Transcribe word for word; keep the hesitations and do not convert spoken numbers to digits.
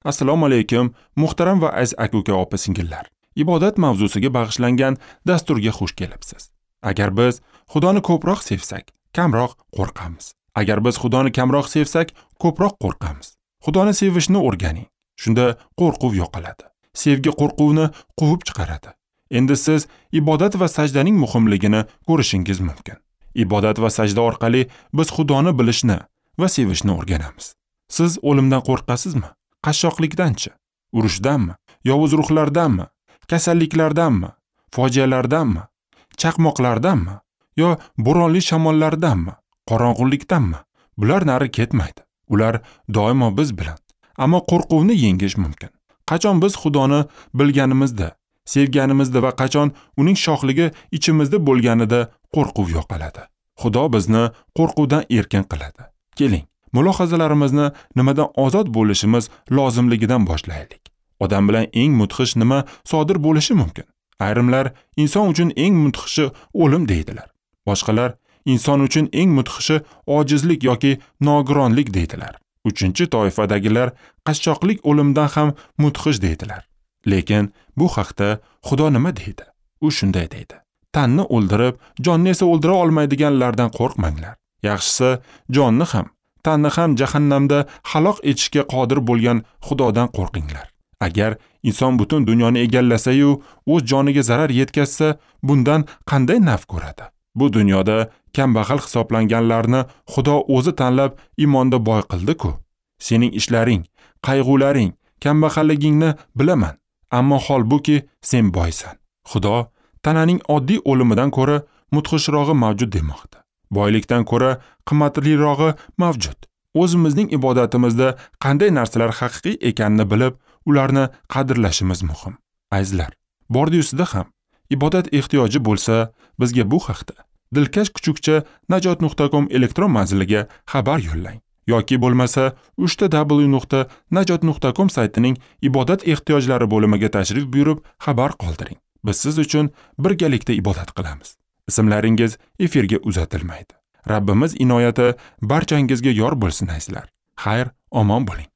Assalomu alaykum, muhtaram va aziz aka-uka, opa-singillar. Ibodat mavzusiga bag'ishlangan dasturga xush kelibsiz. Agar biz Xudoni ko'proq sevsak, kamroq qo'rqamiz. Agar biz Xudoni kamroq sevsak, ko'proq qo'rqamiz. Xudoni sevishni o'rganing. Shunda qo'rquv yo'qoladi. Sevgi qo'rquvni quvib chiqaradi. Endi siz ibodat va sajdaning muhimligini ko'rishingiz mumkin. Ibodat va sajda orqali biz Xudoni bilishni va sevishni o'rganamiz. Siz o'limdan qo'rqasizmi? Qashshoqlikdanchi? Urushdanmi? Yovuz ruhlardanmi? Kasalliklardanmi? Fojialardanmi? Chaqmoqlardanmi? Yo bo'ronli shamollardanmi? Qorong'ulikdanmi? Bular nari ketmaydi. Ular doimo biz bilan. Ammo qo'rquvni yengish mumkin. Qachon biz Xudoni bilganimizda, sevganimizda va qachon uning shohligi ichimizda bo'lganida qo'rquv yo'qoladi. Xudo bizni qo'rquvdan erkin qiladi. Keling, mulohazalarimizni nimadan ozod bo'lishimiz lozimligidan boshlaylik. Odam bilan eng mudhish nima sodir bo'lishi mumkin? Ayrimlar inson uchun eng mudhishi o'lim deydilar. Boshqalar inson uchun eng mudhishi ojizlik yoki nogironlik deydilar. Uchinchi toifadagilar qashshoqlik o'limdan ham mudhish deydilar. Lekin bu haqda Xudo nima deydi? U shunday deydi: Tanni o'ldirib, jonni esa o'ldira olmaydiganlardan qo'rqmanglar. Yaxshisi, jonni ham, tanni ham jahannamda halok etishga qodir bo'lgan Xudodan qo'rqinglar. Agar inson butun dunyoni egallasa-yu, o'z joniga zarar yetkazsa, bundan qanday naf ko'radi? Bu dunyoda kambag'al hisoblanganlarni Xudo o'zi tanlab iymonda boy qildi-ku. Sening ishlaring, qayg'ularing, kambag'alligingni bilaman, ammo holbuki sen boysan. Xudo tananing oddiy o'limidan ko'ra mudhishrog'i mavjud demoqda. Boylikdan ko'ra qimmatlirog'i mavjud. O'zimizning ibodatimizda qanday narsalar haqiqiy ekanini bilib, ularni qadrlashimiz muhim. Azizlar, bordi-yusida ham ibodat ehtiyoji bo'lsa, bizga bu haqda dilkash kuchukcha najot nuqta com elektron manziliga xabar yo'llang yoki bo'lmasa uchta w nuqta najot nuqta com saytining ibodat ehtiyojlari bo'limiga tashrif buyurib xabar qoldiring. Biz siz uchun birgalikda ibodat qilamiz. Ismlaringiz efirga uzatilmaydi. Rabbimiz inoyati barchangizga yor bo'lsin azizlar. Xayr, omon bo'ling.